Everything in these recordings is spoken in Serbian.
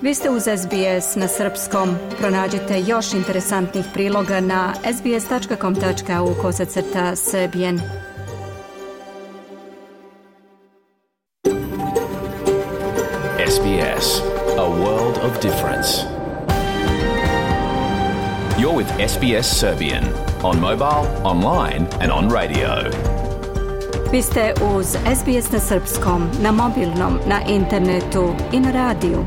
Vi ste uz SBS na srpskom. Pronađite još interesantnih priloga na sbs.com.au/serbian. SBS, a world of difference. You're with SBS Serbian on mobile, online and on radio. Vi ste uz SBS na srpskom, na mobilnom, na internetu i na radiju.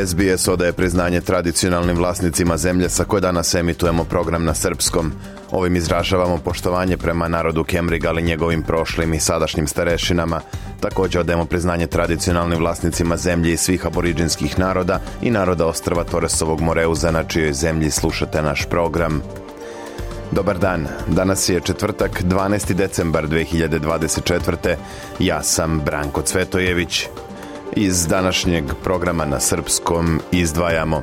SBS odaje priznanje tradicionalnim vlasnicima zemlje sa koje danas emitujemo program na srpskom. Ovim izražavamo poštovanje prema narodu Kemriga, ali njegovim prošlim i sadašnjim starešinama. Također odajemo priznanje tradicionalnim vlasnicima zemlje i svih aboriđinskih naroda i naroda ostrva Torresovog Moreuza, na čijoj zemlji slušate naš program. Dobar dan, danas je četvrtak, 12. decembar 2024. Ja sam Branko Cvetojević. Iz današnjeg programa na srpskom izdvajamo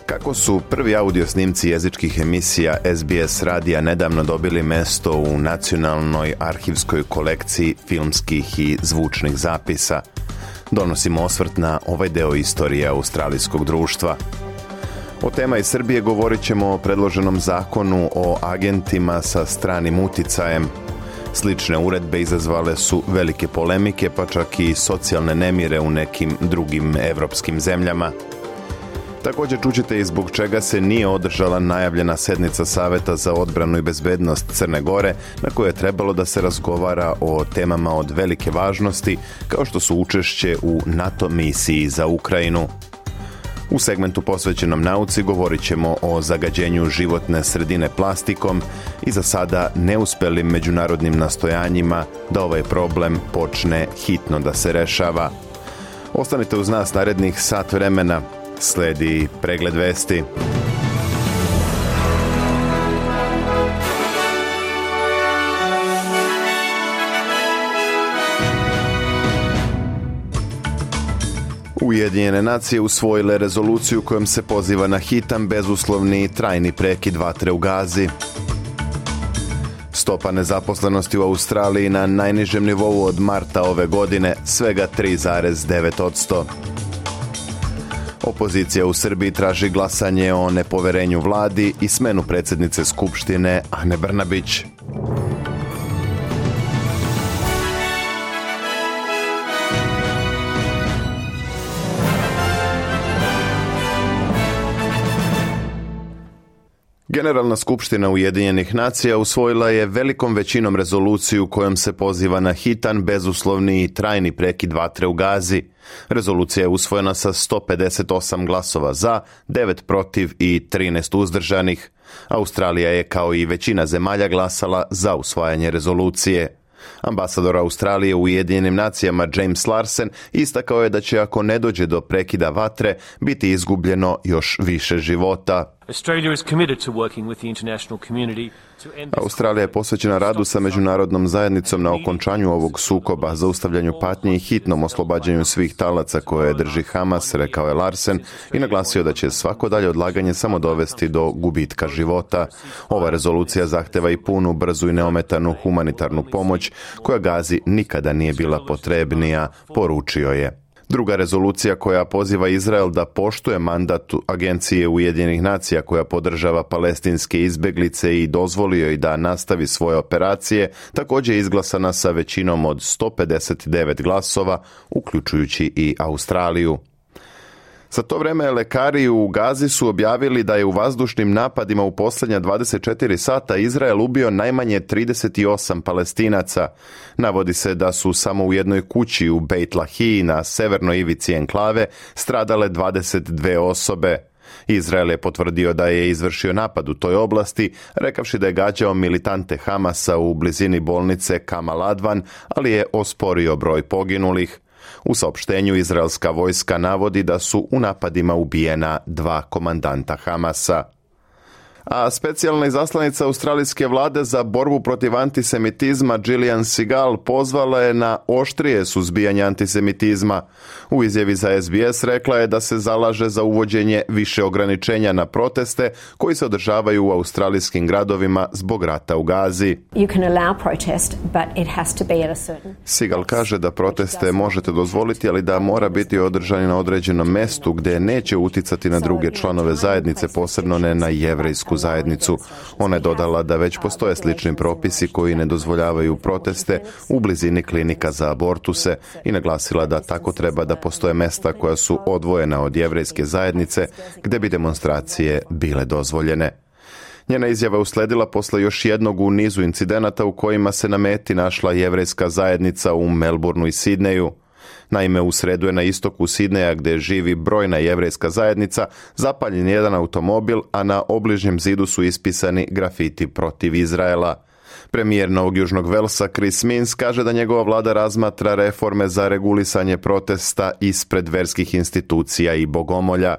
kako su prvi audio snimci jezičkih emisija SBS radija nedavno dobili mesto u nacionalnoj arhivskoj kolekciji filmskih i zvučnih zapisa. Donosimo osvrt na ovaj deo istorije australijskog društva. O tema iz Srbije govorit ćemo o predloženom zakonu o agentima sa stranim uticajem. Slične uredbe izazvale su velike polemike, pa čak i socijalne nemire u nekim drugim evropskim zemljama. Također čućete i zbog čega se nije održala najavljena sednica Saveta za odbranu i bezbednost Crne Gore, na kojoj je trebalo da se razgovara o temama od velike važnosti, kao što su učešće u NATO misiji za Ukrajinu. U segmentu posvećenom nauci govorit ćemo o zagađenju životne sredine plastikom i za sada neuspelim međunarodnim nastojanjima da ovaj problem počne hitno da se rešava. Ostanite uz nas narednih sat vremena, sledi pregled vesti. Ujedinjene nacije usvojile rezoluciju kojom se poziva na hitan, bezuslovni i trajni prekid vatre u Gazi. Stopa nezaposlenosti u Australiji na najnižem nivou od marta ove godine, svega 3,9%. Opozicija u Srbiji traži glasanje o nepoverenju vladi i smenu predsjednice Skupštine Ane Brnabić. Generalna skupština Ujedinjenih nacija usvojila je velikom većinom rezoluciju kojom se poziva na hitan, bezuslovni i trajni prekid vatre u Gazi. Rezolucija je usvojena sa 158 glasova za, 9 protiv i 13 uzdržanih. Australija je, kao i većina zemalja, glasala za usvajanje rezolucije. Ambasador Australije u Ujedinjenim nacijama James Larsen istakao je da će, ako ne dođe do prekida vatre, biti izgubljeno još više života. Australija je posvećena radu sa međunarodnom zajednicom na okončanju ovog sukoba, zaustavljanju patnje i hitnom oslobađanju svih talaca koje drži Hamas, rekao je Larsen i naglasio da će svako dalje odlaganje samo dovesti do gubitka života. Ova rezolucija zahteva i punu, brzu i neometanu humanitarnu pomoć koja Gazi nikada nije bila potrebnija, poručio je. Druga rezolucija koja poziva Izrael da poštuje mandat Agencije Ujedinjenih nacija koja podržava palestinske izbeglice i dozvoli joj da nastavi svoje operacije, također je izglasana sa većinom od 159 glasova, uključujući i Australiju. Za to vreme lekari u Gazi su objavili da je u vazdušnim napadima u posljednja 24 sata Izrael ubio najmanje 38 Palestinaca. Navodi se da su samo u jednoj kući u Beit Lahiji na severnoj ivici enklave stradale 22 osobe. Izrael je potvrdio da je izvršio napad u toj oblasti, rekavši da je gađao militante Hamasa u blizini bolnice Kamal Advan, ali je osporio broj poginulih. U saopštenju izraelska vojska navodi da su u napadima ubijena 2 komandanta Hamasa. A specijalna izaslanica australijske vlade za borbu protiv antisemitizma Gillian Segal pozvala je na oštrije suzbijanje antisemitizma. U izjavi za SBS rekla je da se zalaže za uvođenje više ograničenja na proteste koji se održavaju u australijskim gradovima zbog rata u Gazi. Segal kaže da proteste možete dozvoliti, ali da mora biti održani na određenom mestu gdje neće uticati na druge članove zajednice, posebno ne na jevrejsku zajednicu. Ona je dodala da već postoje slični propisi koji ne dozvoljavaju proteste u blizini klinika za abortuse i naglasila da tako treba da postoje mesta koja su odvojena od jevrejske zajednice gdje bi demonstracije bile dozvoljene. Njena izjava usledila posle još jednog u nizu incidenata u kojima se na meti našla jevrejska zajednica u Melbourneu i Sidneju. Naime, u sredu je na istoku Sidneja, gdje živi brojna jevrejska zajednica, zapaljen jedan automobil, a na obližnjem zidu su ispisani grafiti protiv Izraela. Premijer Novog Južnog Velsa Chris Minns kaže da njegova vlada razmatra reforme za regulisanje protesta ispred verskih institucija i bogomolja.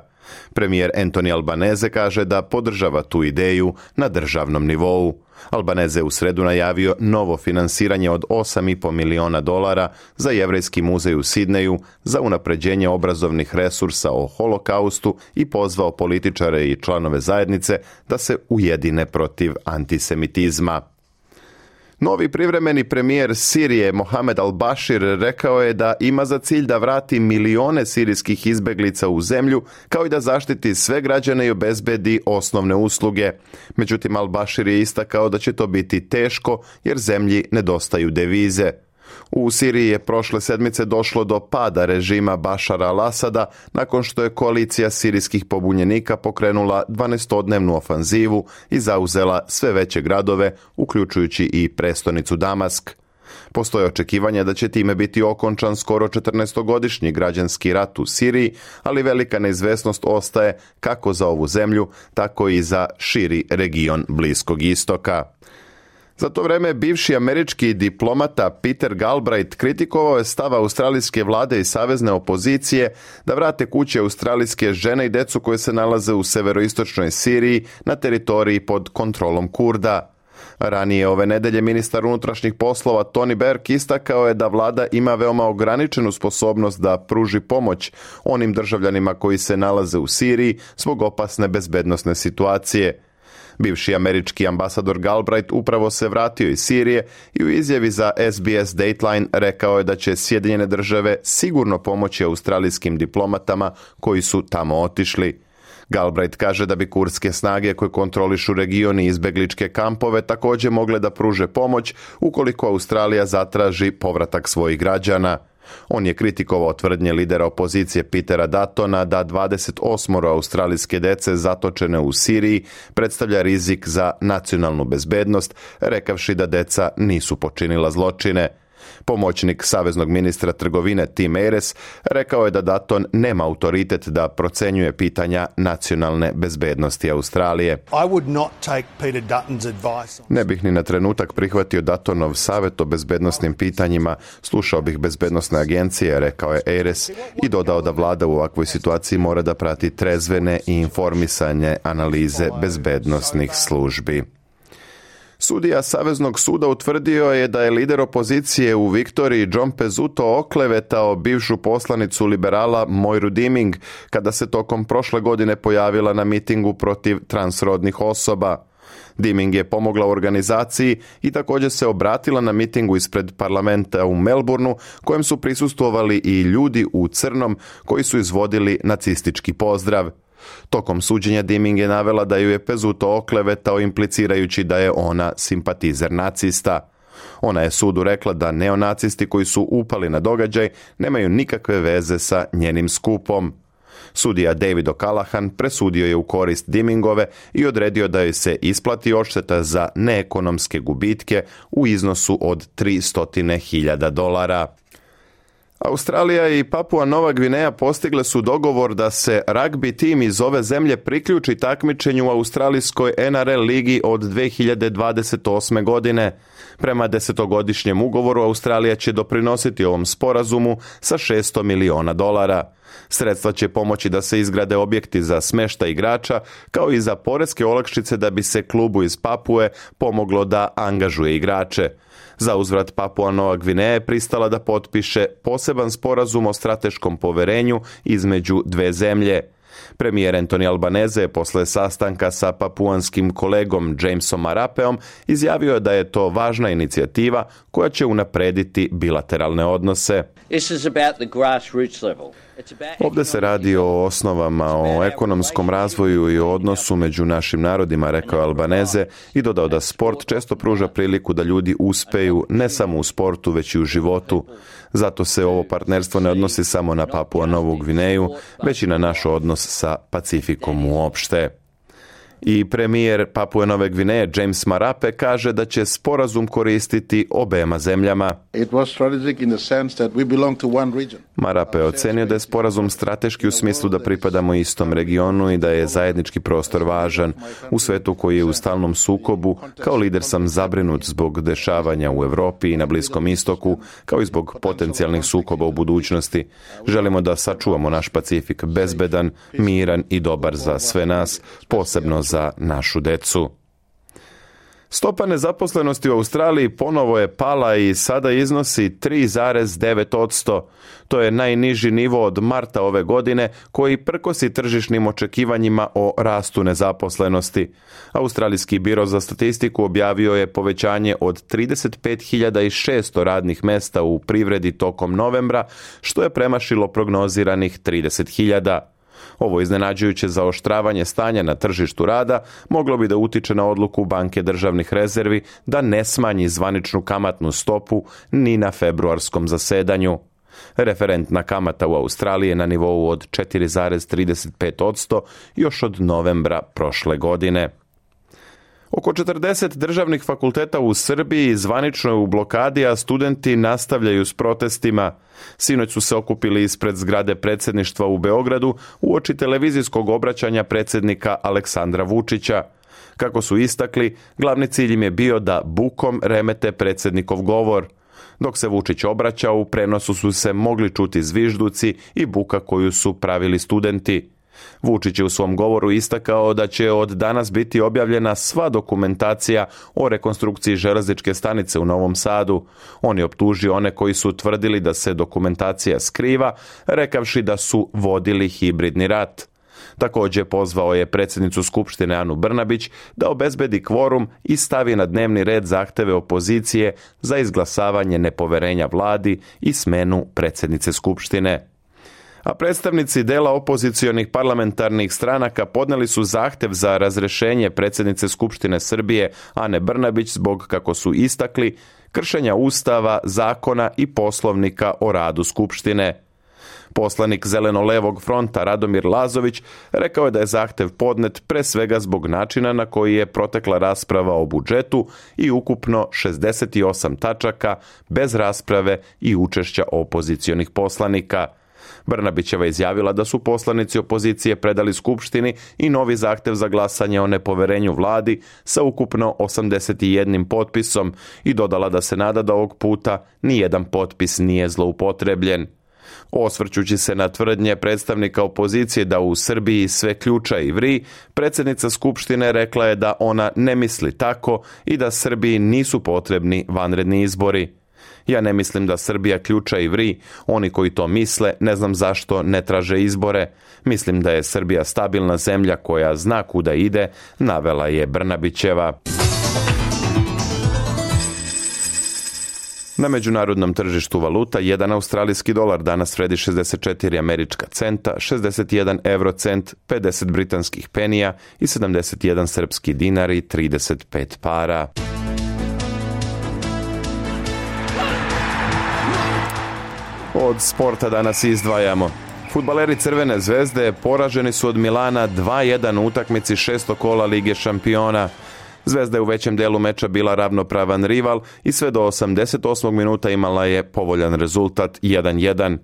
Premijer Anthony Albanese kaže da podržava tu ideju na državnom nivou. Albanese je u sredu najavio novo finansiranje od $8,5 miliona za jevrejski muzej u Sidneju za unapređenje obrazovnih resursa o holokaustu i pozvao političare i članove zajednice da se ujedine protiv antisemitizma. Novi privremeni premijer Sirije Mohamed al-Bashir rekao je da ima za cilj da vrati milione sirijskih izbeglica u zemlju, kao i da zaštiti sve građane i obezbedi osnovne usluge. Međutim, al-Bashir je istakao da će to biti teško jer zemlji nedostaju devize. U Siriji je prošle sedmice došlo do pada režima Bašara al-Asada nakon što je koalicija sirijskih pobunjenika pokrenula 12-dnevnu ofanzivu i zauzela sve veće gradove, uključujući i prestonicu Damask. Postoje očekivanja da će time biti okončan skoro 14-godišnji građanski rat u Siriji, ali velika neizvesnost ostaje kako za ovu zemlju, tako i za širi region Bliskog istoka. Za to vreme bivši američki diplomata Peter Galbraith kritikovao je stav australijske vlade i savezne opozicije da vrate kući australijske žene i decu koje se nalaze u severoistočnoj Siriji na teritoriji pod kontrolom Kurda. Ranije ove nedelje ministar unutrašnjih poslova Tony Burke istakao je da vlada ima veoma ograničenu sposobnost da pruži pomoć onim državljanima koji se nalaze u Siriji zbog opasne bezbednosne situacije. Bivši američki ambasador Galbraith upravo se vratio iz Sirije i u izjavi za SBS Dateline rekao je da će Sjedinjene države sigurno pomoći australijskim diplomatama koji su tamo otišli. Galbraith kaže da bi kurdske snage koje kontrolišu region i izbegličke kampove također mogle da pruže pomoć ukoliko Australija zatraži povratak svojih građana. On je kritikovao tvrdnje lidera opozicije Petera Duttona da 28 australijske dece zatočene u Siriji predstavlja rizik za nacionalnu bezbednost, rekavši da deca nisu počinila zločine. Pomoćnik saveznog ministra trgovine Tim Ayres rekao je da Dutton nema autoritet da procenjuje pitanja nacionalne bezbednosti Australije. Ne bih ni na trenutak prihvatio Duttonov savjet o bezbednosnim pitanjima, slušao bih bezbednosne agencije, rekao je Ayres i dodao da vlada u ovakvoj situaciji mora da prati trezvene i informisane analize bezbednosnih službi. Sudija Saveznog suda utvrdio je da je lider opozicije u Viktoriji John Pezzuto oklevetao bivšu poslanicu liberala Moiru Diming kada se tokom prošle godine pojavila na mitingu protiv transrodnih osoba. Diming je pomogla organizaciji i također se obratila na mitingu ispred parlamenta u Melbourneu, kojem su prisustvovali i ljudi u crnom koji su izvodili nacistički pozdrav. Tokom suđenja Diming je navela da ju je Pezzuto oklevetao implicirajući da je ona simpatizer nacista. Ona je sudu rekla da neonacisti koji su upali na događaj nemaju nikakve veze sa njenim skupom. Sudija David O'Callaghan presudio je u korist Dimingove i odredio da joj se isplati odšteta za neekonomske gubitke u iznosu od $300,000. Australija i Papua Nova Gvineja postigle su dogovor da se ragbi tim iz ove zemlje priključi takmičenju u australijskoj NRL ligi od 2028. godine. Prema 10-godišnjem ugovoru Australija će doprinositi ovom sporazumu sa $600 miliona. Sredstva će pomoći da se izgrade objekti za smještaj igrača, kao i za poreske olakšice da bi se klubu iz Papue pomoglo da angažuje igrače. Za uzvrat Papua Nova Gvineja je pristala da potpiše poseban sporazum o strateškom poverenju između dve zemlje. Premijer Anthony Albanese je posle sastanka sa papuanskim kolegom Jamesom Marapeom izjavio da je to važna inicijativa koja će unaprediti bilateralne odnose. Ovdje se radi o osnovama, o ekonomskom razvoju i o odnosu među našim narodima, rekao Albanese i dodao da sport često pruža priliku da ljudi uspeju ne samo u sportu, već i u životu. Zato se ovo partnerstvo ne odnosi samo na Papua Novu Gvineju, već i na naš odnos sa Pacifikom uopšte. I premijer Papue Nove Gvineje James Marape kaže da će sporazum koristiti obema zemljama. Marape je ocenio da je sporazum strateški u smislu da pripadamo istom regionu i da je zajednički prostor važan. U svetu koji je u stalnom sukobu, kao lider sam zabrinut zbog dešavanja u Europi i na Bliskom istoku, kao i zbog potencijalnih sukoba u budućnosti. Želimo da sačuvamo naš Pacifik bezbedan, miran i dobar za sve nas, posebno za našu decu. Stopa nezaposlenosti u Australiji ponovo je pala i sada iznosi 3,9%. To je najniži nivo od marta ove godine, koji prkosi tržišnim očekivanjima o rastu nezaposlenosti. Australijski biro za statistiku objavio je povećanje od 35.600 radnih mesta u privredi tokom novembra, što je premašilo prognoziranih 30.000. Ovo iznenađujuće zaoštravanje stanja na tržištu rada moglo bi da utiče na odluku Banke državnih rezervi da ne smanji zvaničnu kamatnu stopu ni na februarskom zasedanju. Referentna kamata u Australiji je na nivou od 4,35% još od novembra prošle godine. Oko 40 državnih fakulteta u Srbiji zvanično je u blokadi, a studenti nastavljaju s protestima. Sinoć su se okupili ispred zgrade predsjedništva u Beogradu uoči televizijskog obraćanja predsjednika Aleksandra Vučića. Kako su istakli, glavni cilj im je bio da bukom remete predsjednikov govor. Dok se Vučić obraćao, u prenosu su se mogli čuti zvižduci i buka koju su pravili studenti. Vučić je u svom govoru istakao da će od danas biti objavljena sva dokumentacija o rekonstrukciji železničke stanice u Novom Sadu. On je optužio one koji su tvrdili da se dokumentacija skriva, rekavši da su vodili hibridni rat. Također pozvao je predsjednicu Skupštine Anu Brnabić da obezbedi kvorum i stavi na dnevni red zahteve opozicije za izglasavanje nepoverenja vladi i smenu predsjednice Skupštine. A predstavnici dela opozicionih parlamentarnih stranaka podneli su zahtev za razrješenje predsjednice Skupštine Srbije Ane Brnabić zbog, kako su istakli, kršenja Ustava, zakona i poslovnika o radu Skupštine. Poslanik Zeleno-levog fronta Radomir Lazović rekao je da je zahtev podnet pre svega zbog načina na koji je protekla rasprava o budžetu i ukupno 68 tačaka bez rasprave i učešća opozicionih poslanika. Brnabićeva izjavila da su poslanici opozicije predali Skupštini i novi zahtev za glasanje o nepoverenju vladi sa ukupno 81 potpisom i dodala da se nada da ovog puta nijedan potpis nije zloupotrebljen. Osvrćući se na tvrdnje predstavnika opozicije da u Srbiji sve ključa i vri, predsjednica Skupštine rekla je da ona ne misli tako i da Srbiji nisu potrebni vanredni izbori. Ja ne mislim da Srbija ključa i vri, oni koji to misle ne znam zašto ne traže izbore. Mislim da je Srbija stabilna zemlja koja zna kuda ide, navela je Brnabićeva. Na međunarodnom tržištu valuta, 1 australijski dolar danas vredi 64 američka centa, 61 eurocent, 50 britanskih penija i 71 srpski dinar i 35 para. Od sporta danas izdvajamo. Fudbaleri Crvene zvezde poraženi su od Milana 2-1 u utakmici 6. kola Lige šampiona. Zvezda je u većem delu meča bila ravnopravan rival i sve do 88. minuta imala je povoljan rezultat 1-1.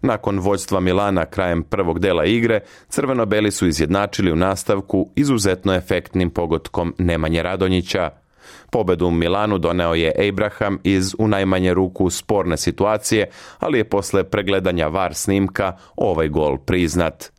Nakon vođstva Milana krajem prvog dela igre, crveno-beli su izjednačili u nastavku izuzetno efektnim pogotkom Nemanje Radonjića. Pobedu u Milanu doneo je Abraham iz u najmanje ruku sporne situacije, ali je posle pregledanja VAR snimka ovaj gol priznat.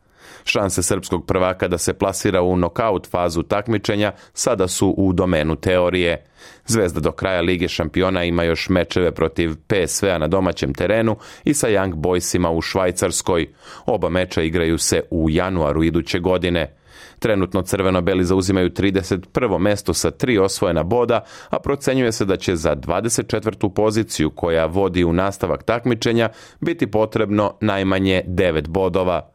Šanse srpskog prvaka da se plasira u nokaut fazu takmičenja sada su u domenu teorije. Zvezda do kraja Lige šampiona ima još mečeve protiv PSV-a na domaćem terenu i sa Young Boysima u Švajcarskoj. Oba meča igraju se u januaru iduće godine. Trenutno crveno-beli zauzimaju 31. mesto sa 3 osvojena boda, a procenjuje se da će za 24. poziciju koja vodi u nastavak takmičenja biti potrebno najmanje 9 bodova.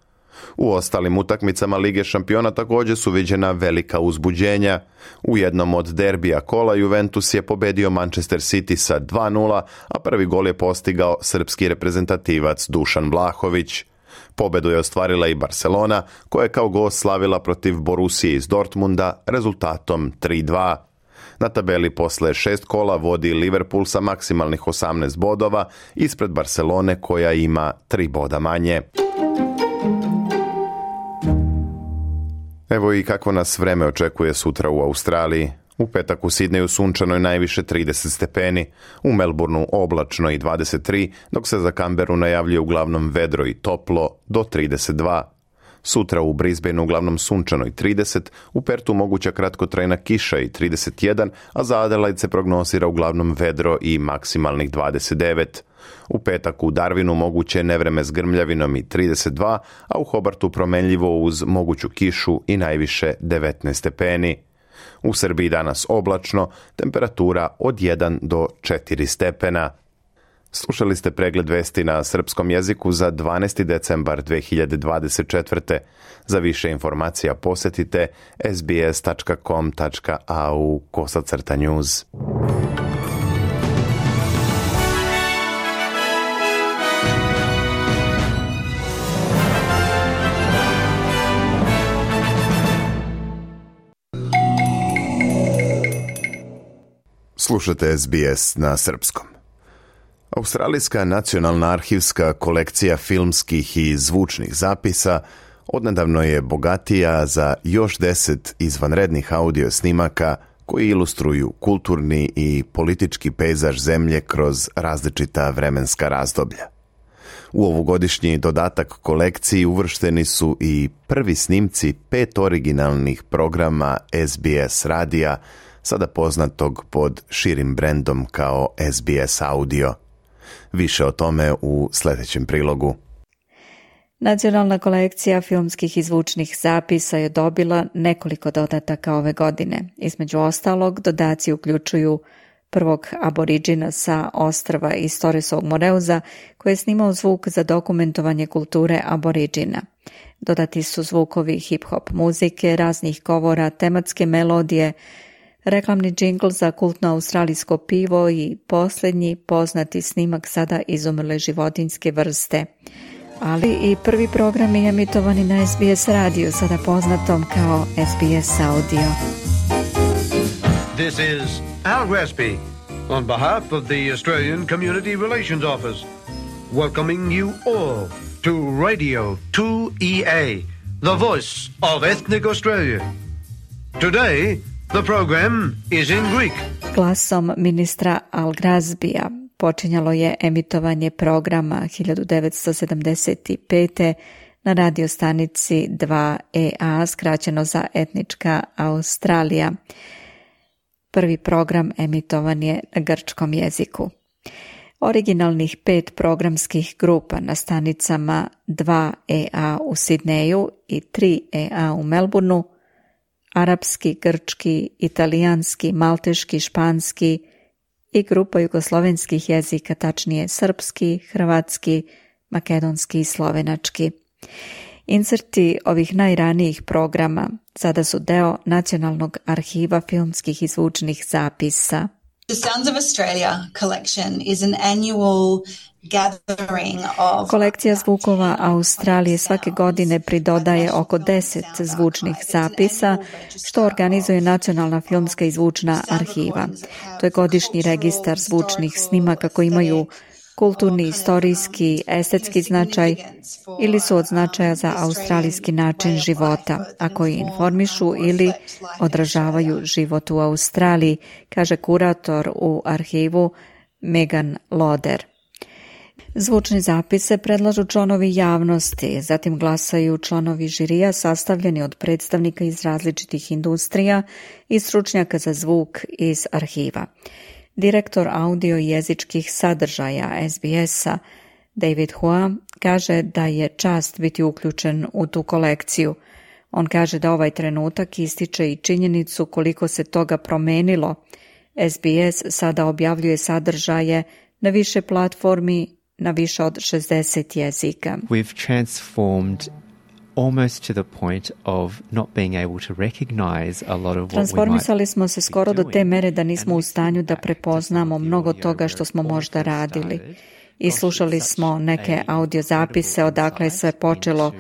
U ostalim utakmicama Lige šampiona također su viđena velika uzbuđenja. U jednom od derbija kola Juventus je pobedio Manchester City sa 2:0, a prvi gol je postigao srpski reprezentativac Dušan Vlahović. Pobedu je ostvarila i Barcelona, koja je kao gost slavila protiv Borussije iz Dortmunda rezultatom 3:2. Na tabeli posle 6 kola vodi Liverpool sa maksimalnih 18 bodova ispred Barcelone koja ima 3 boda manje. Evo i kako nas vreme očekuje sutra u Australiji. U petak u Sidneju sunčano je najviše 30 stepeni, u Melbourneu oblačno i 23, dok se za Canberru najavljuje uglavnom vedro i toplo do 32. Sutra u Brisbaneu uglavnom sunčano i 30, u Pertu moguća kratkotrajna kiša i 31, a za Adelaide se prognozira uglavnom vedro i maksimalnih 29. U petak u Darwinu moguće nevreme s grmljavinom i 32, a u Hobartu promenljivo uz moguću kišu i najviše 19 stepeni. U Srbiji danas oblačno, temperatura od 1 do 4 stepena. Slušali ste pregled vesti na srpskom jeziku za 12. decembar 2024. Za više informacija posjetite sbs.com.au/news. Slušate SBS na srpskom. Australijska nacionalna arhivska kolekcija filmskih i zvučnih zapisa odnedavno je bogatija za još 10 izvanrednih audio snimaka koji ilustruju kulturni i politički pejzaž zemlje kroz različita vremenska razdoblja. U ovogodišnji dodatak kolekciji uvršteni su i prvi snimci 5 originalnih programa SBS radija, sada poznatog pod širim brendom kao SBS Audio. Više o tome u sljedećem prilogu. Nacionalna kolekcija filmskih i zvučnih zapisa je dobila nekoliko dodataka ove godine. Između ostalog, dodaci uključuju prvog aboriđina sa ostrva iz Torresovog Moreuza koji je snimao zvuk za dokumentovanje kulture aboriđina. Dodati su zvukovi hip-hop muzike, raznih govora, tematske melodije, reklamni džingl za kultno australijsko pivo i posljednji poznati snimak sada izumrle životinjske vrste. Ali i prvi programi emitovani na SBS radiju, sada poznatom kao SBS Audio. This is Al Gresby on behalf of the Australian Community Relations Office, welcoming you all to Radio 2EA, the voice of ethnic Australia. Today, the program is in Greek. Glasom ministra Al Gresbya počinjalo je emitovanje programa 1975. na radiostanici 2EA, skraćeno za etnička Australija. Prvi program emitovan je na grčkom jeziku. Originalnih 5 programskih grupa na stanicama 2EA u Sidneju i 3EA u Melbourneu, arapski, grčki, italijanski, malteški, španski i grupa jugoslovenskih jezika, tačnije srpski, hrvatski, makedonski i slovenački. Inserti ovih najranijih programa sada su deo Nacionalnog arhiva filmskih i zvučnih zapisa. The Sounds of Australia collection is an annual gathering of... Kolekcija zvukova Australije svake godine pridodaje oko 10 zvučnih zapisa, što organizuje Nacionalna filmska i zvučna arhiva. To je godišnji registar zvučnih snimaka koji imaju kulturni, istorijski, estetski značaj ili su od značaja za australijski način života, a koji informišu ili odražavaju život u Australiji, kaže kurator u arhivu Megan Loder. Zvučni zapise predlažu članovi javnosti, zatim glasaju članovi žirija sastavljeni od predstavnika iz različitih industrija i stručnjaka za zvuk iz arhiva. Direktor audio i jezičkih sadržaja SBS-a David Hua kaže da je čast biti uključen u tu kolekciju. On kaže da ovaj trenutak ističe i činjenicu koliko se toga promenilo. SBS sada objavljuje sadržaje na više platformi na više od 60 jezika. We've transformed almost to the point of not being able to recognize a lot of what we might. Transformisali smo se skoro do te mere da nismo u stanju da prepoznamo mnogo toga što smo možda radili. I slušali smo neke audio zapise odakle je sve počelo.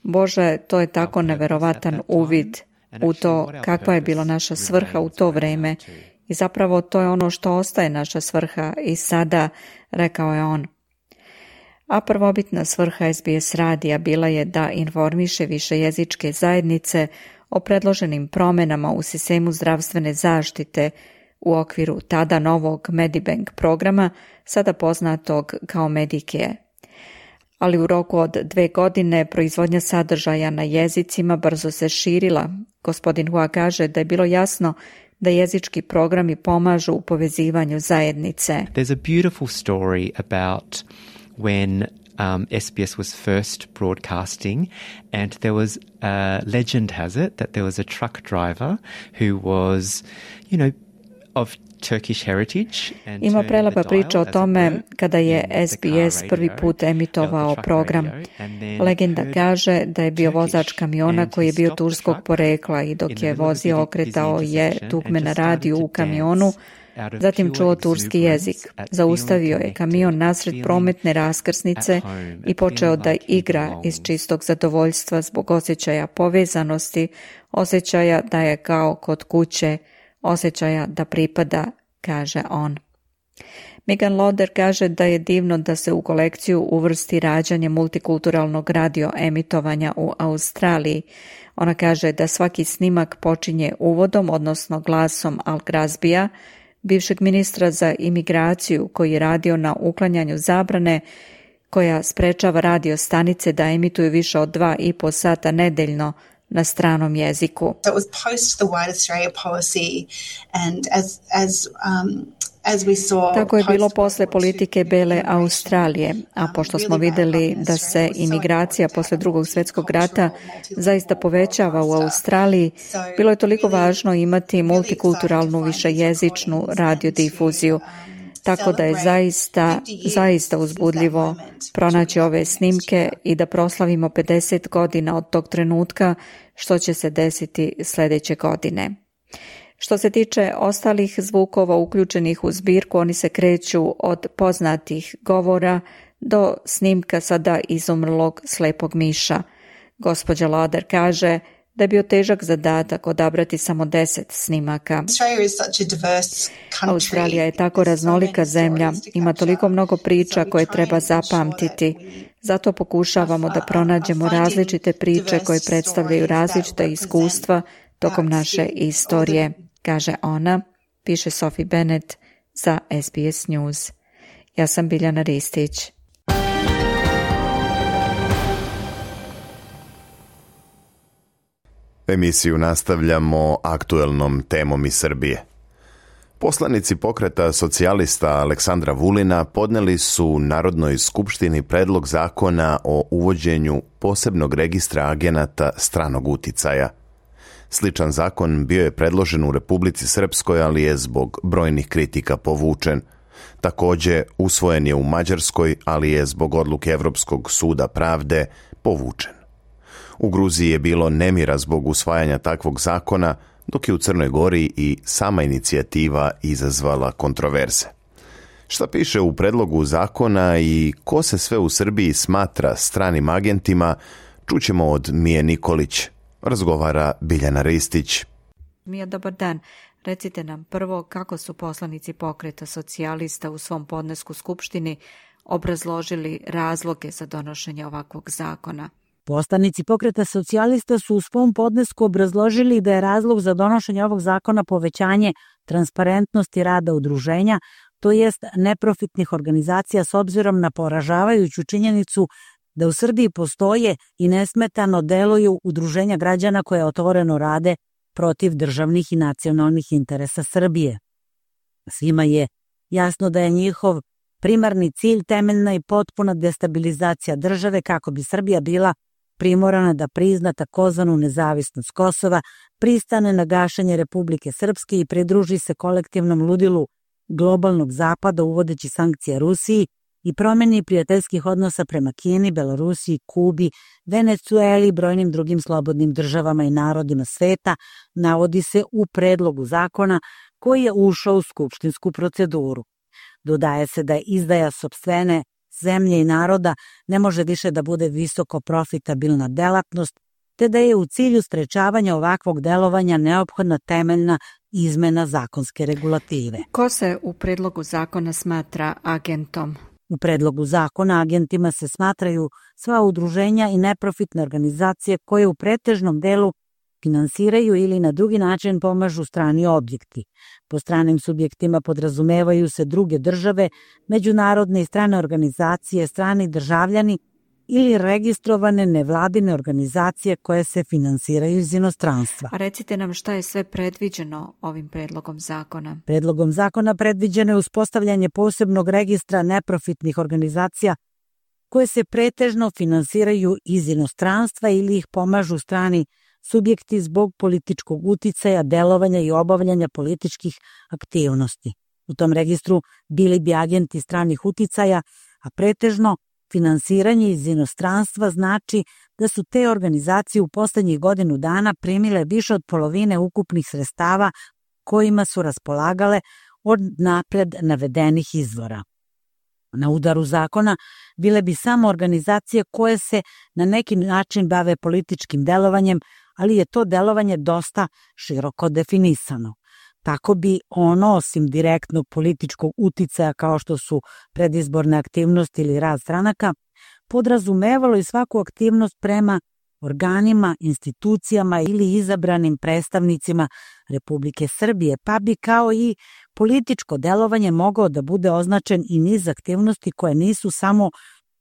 Bože, to je tako neverovatan uvid u to kakva je bila naša svrha u to vreme. I zapravo to je ono što ostaje naša svrha i sada, rekao je on. A prvobitna svrha SBS radija bila je da informiše višejezičke zajednice o predloženim promenama u sistemu zdravstvene zaštite u okviru tada novog Medibank programa, sada poznatog kao Medicare. Ali u roku od 2 godine proizvodnja sadržaja na jezicima brzo se širila. Gospodin Hua kaže da je bilo jasno da jezički programi pomažu u povezivanju zajednice. There's a beautiful story about when SBS was first broadcasting, and there was legend has it that there was a truck driver who was, of Turkish heritage. Ima prelepa priča o tome kada je SBS prvi put emitovao program. Legenda kaže da je bio vozač kamiona koji je bio turskog porekla i dok je vozio okretao je dugme na radiju u kamionu, zatim čuo turski jezik. Zaustavio je kamion nasred prometne raskrsnice i počeo da igra iz čistog zadovoljstva zbog osjećaja povezanosti, osjećaja da je kao kod kuće, osjećaja da pripada, kaže on. Megan Loder kaže da je divno da se u kolekciju uvrsti rađanje multikulturalnog radio emitovanja u Australiji. Ona kaže da svaki snimak počinje uvodom, odnosno glasom Al Grazbija, bivšeg ministra za imigraciju koji je radio na uklanjanju zabrane koja sprečava radio stanice da emituju više od 2,5 sata nedeljno na stranom jeziku. So it was post the White Australia policy, and as we saw, tako je bilo posle politike Bele Australije, a pošto smo vidjeli da se imigracija posle Drugog svjetskog rata zaista povećava u Australiji, bilo je toliko važno imati multikulturalnu višejezičnu radiodifuziju. Tako da je zaista uzbudljivo pronaći ove snimke i da proslavimo 50 godina od tog trenutka, što će se desiti sljedeće godine. Što se tiče ostalih zvukova uključenih u zbirku, oni se kreću od poznatih govora do snimka sada izumrlog slepog miša. Gospođa Loder kaže da je bio težak zadatak odabrati samo 10 snimaka. Australija je tako raznolika zemlja, ima toliko mnogo priča koje treba zapamtiti. Zato pokušavamo da pronađemo različite priče koje predstavljaju različita iskustva tokom naše istorije, kaže ona, piše Sophie Bennett za SBS News. Ja sam Biljana Ristić. Emisiju nastavljamo aktuelnom temom iz Srbije. Poslanici pokreta socijalista Aleksandra Vulina podneli su Narodnoj skupštini predlog zakona o uvođenju posebnog registra agenata stranog uticaja. Sličan zakon bio je predložen u Republici Srpskoj, ali je zbog brojnih kritika povučen. Također usvojen je u Mađarskoj, ali je zbog odluke Evropskog suda pravde povučen. U Gruziji je bilo nemira zbog usvajanja takvog zakona, dok je u Crnoj Gori i sama inicijativa izazvala kontroverze. Šta piše u predlogu zakona i ko se sve u Srbiji smatra stranim agentima, čućemo od Mije Nikolić. Razgovara Biljana Ristić. Mija, dobar dan. Recite nam prvo kako su poslanici pokreta socijalista u svom podnesku Skupštini obrazložili razloge za donošenje ovakvog zakona. Poslanici Pokreta socijalista su u svom podnesku obrazložili da je razlog za donošenje ovog zakona povećanje transparentnosti rada udruženja, to jest neprofitnih organizacija, s obzirom na poražavajuću činjenicu da u Srbiji postoje i nesmetano deluju udruženja građana koje otvoreno rade protiv državnih i nacionalnih interesa Srbije. Svima je jasno da je njihov primarni cilj temeljna i potpuna destabilizacija države kako bi Srbija bila primorana da prizna takozvanu nezavisnost Kosova, pristane na gašenje Republike Srpske i pridruži se kolektivnom ludilu globalnog zapada uvodeći sankcije Rusiji i promjeni prijateljskih odnosa prema Kini, Belorusiji, Kubi, Venecueli i brojnim drugim slobodnim državama i narodima sveta, navodi se u predlogu zakona koji je ušao u skupštinsku proceduru. Dodaje se da je izdaja sopstvene zemlje i naroda ne može više da bude visoko profitabilna delatnost, te da je u cilju sprečavanja ovakvog delovanja neophodna temeljna izmena zakonske regulative. Ko se u predlogu zakona smatra agentom? U predlogu zakona agentima se smatraju sva udruženja i neprofitne organizacije koje u pretežnom delu finansiraju ili na drugi način pomažu strani objekti. Po stranim subjektima podrazumevaju se druge države, međunarodne i strane organizacije, strani državljani ili registrovane nevladine organizacije koje se finansiraju iz inostranstva. A recite nam šta je sve predviđeno ovim predlogom zakona? Predlogom zakona predviđeno je uspostavljanje posebnog registra neprofitnih organizacija koje se pretežno finansiraju iz inostranstva ili ih pomažu strani subjekti zbog političkog uticaja, delovanja i obavljanja političkih aktivnosti. U tom registru bili bi agenti stranih uticaja, a pretežno finansiranje iz inostranstva znači da su te organizacije u poslednjih godinu dana primile više od polovine ukupnih sredstava kojima su raspolagale od napred navedenih izvora. Na udaru zakona bile bi samo organizacije koje se na neki način bave političkim delovanjem, ali je to delovanje dosta široko definisano. Tako bi ono, osim direktnog političkog uticaja kao što su predizborne aktivnosti ili rad stranaka, podrazumevalo i svaku aktivnost prema organima, institucijama ili izabranim predstavnicima Republike Srbije, pa bi kao i političko delovanje mogao da bude označen i niz aktivnosti koje nisu samo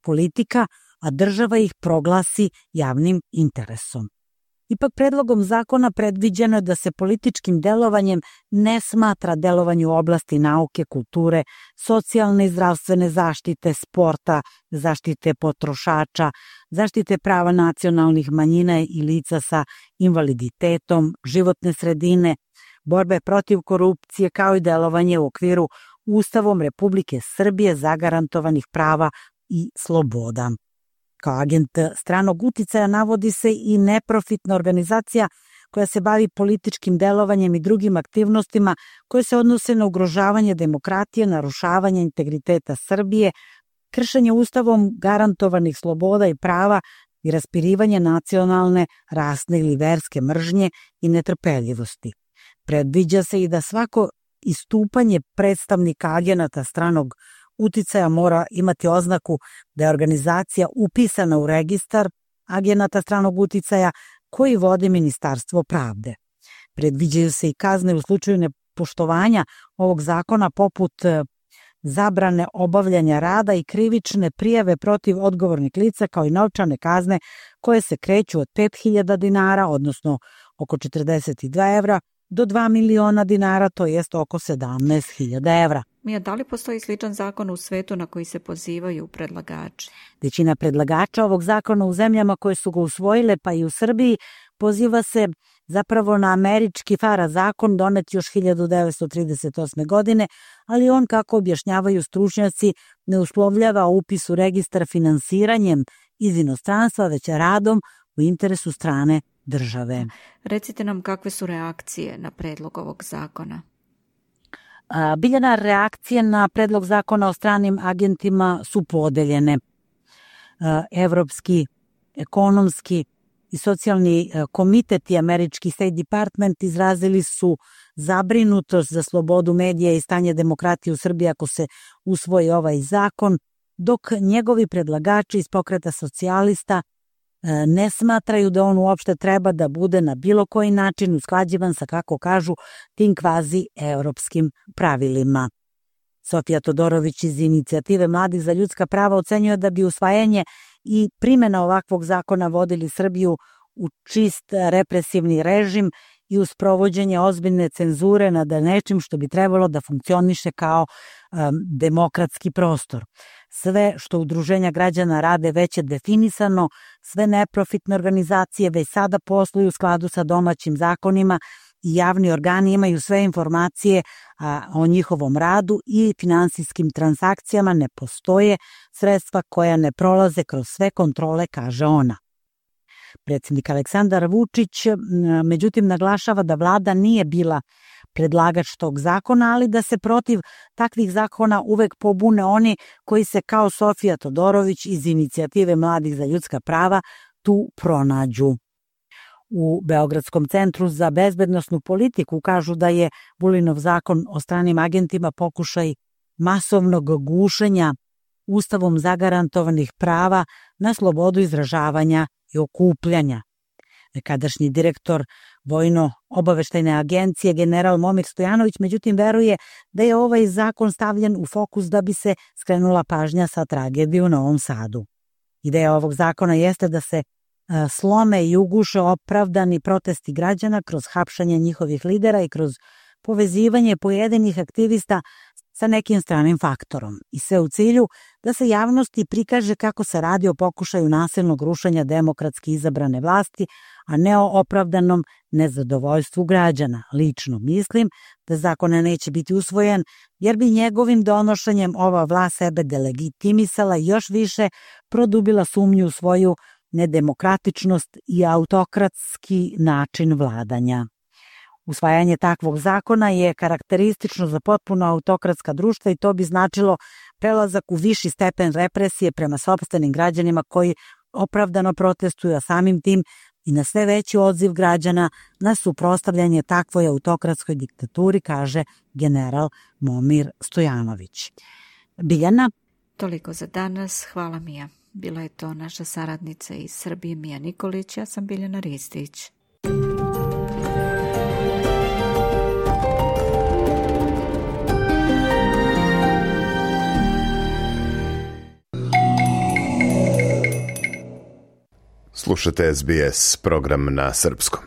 politika, a država ih proglasi javnim interesom. Ipak predlogom zakona predviđeno je da se političkim delovanjem ne smatra delovanje u oblasti nauke, kulture, socijalne i zdravstvene zaštite, sporta, zaštite potrošača, zaštite prava nacionalnih manjina i lica sa invaliditetom, životne sredine, borbe protiv korupcije kao i delovanje u okviru Ustavom Republike Srbije zagarantovanih prava i sloboda. Kao agent stranog uticaja navodi se i neprofitna organizacija koja se bavi političkim delovanjem i drugim aktivnostima koje se odnose na ugrožavanje demokratije, narušavanje integriteta Srbije, kršenje Ustavom garantovanih sloboda i prava i raspirivanje nacionalne, rasne ili verske mržnje i netrpeljivosti. Predviđa se i da svako istupanje predstavnika agenata stranog uticaja mora imati oznaku da je organizacija upisana u registar agenata stranog uticaja koji vodi Ministarstvo pravde. Predviđaju se i kazne u slučaju nepoštovanja ovog zakona poput zabrane obavljanja rada i krivične prijave protiv odgovornih lica kao i novčane kazne koje se kreću od 5.000 dinara, odnosno oko 42 evra, do 2 miliona dinara, to jest oko 17.000 evra. Mija, da li postoji sličan zakon u svetu na koji se pozivaju predlagači? Većina predlagača ovog zakona u zemljama koje su ga usvojile, pa i u Srbiji, poziva se zapravo na američki FARA zakon donet još 1938. godine, ali on, kako objašnjavaju stručnjaci, ne uslovljava upis u registar finansiranjem iz inostranstva, već radom u interesu strane države. Recite nam kakve su reakcije na predlog ovog zakona? Biljana reakcije na predlog zakona o stranim agentima su podeljene. Evropski, ekonomski i socijalni komitet i američki State Department izrazili su zabrinutost za slobodu medija i stanje demokratije u Srbiji ako se usvoji ovaj zakon, dok njegovi predlagači iz Pokreta socijalista ne smatraju da on uopšte treba da bude na bilo koji način usklađivan sa, kako kažu, tim kvazi europskim pravilima. Sofija Todorović iz Inicijative mladih za ljudska prava ocenjuje da bi usvajanje i primjena ovakvog zakona vodili Srbiju u čist represivni režim i uz provođenje ozbiljne cenzure nad nečim što bi trebalo da funkcioniše kao demokratski prostor. Sve što udruženja građana rade već je definisano, sve neprofitne organizacije već sada posluju u skladu sa domaćim zakonima i javni organi imaju sve informacije o njihovom radu i finansijskim transakcijama, ne postoje sredstva koja ne prolaze kroz sve kontrole, kaže ona. Predsjednik Aleksandar Vučić, međutim, naglašava da vlada nije bila predlagač tog zakona, ali da se protiv takvih zakona uvek pobune oni koji se kao Sofija Todorović iz Inicijative mladih za ljudska prava tu pronađu. U Beogradskom centru za bezbednosnu politiku kažu da je Vulinov zakon o stranim agentima pokušaj masovnog gušenja Ustavom zagarantovanih prava na slobodu izražavanja i okupljanja. Nekadašnji direktor Vojno-obaveštajne agencije general Momir Stojanović međutim veruje da je ovaj zakon stavljen u fokus da bi se skrenula pažnja sa tragedije u Novom Sadu. Ideja ovog zakona jeste da se slome i uguše opravdani protesti građana kroz hapšanje njihovih lidera i kroz povezivanje pojedinih aktivista sa nekim stranim faktorom. I sve u cilju da se javnosti prikaže kako se radi o pokušaju nasilnog rušenja demokratski izabrane vlasti, a ne o opravdanom nezadovoljstvu građana. Lično mislim da zakon neće biti usvojen, jer bi njegovim donošenjem ova vlast sebe delegitimisala i još više produbila sumnju u svoju nedemokratičnost i autokratski način vladanja. Usvajanje takvog zakona je karakteristično za potpuno autokratska društva i to bi značilo prelazak u viši stepen represije prema sopstvenim građanima koji opravdano protestuju, a samim tim i na sve veći odziv građana na suprotstavljanje takvoj autokratskoj diktaturi, kaže general Momir Stojanović. Biljana? Toliko za danas. Hvala Mija. Bila je to naša saradnica iz Srbije Mija Nikolić, ja sam Biljana Ristić. Slušate SBS, program na srpskom.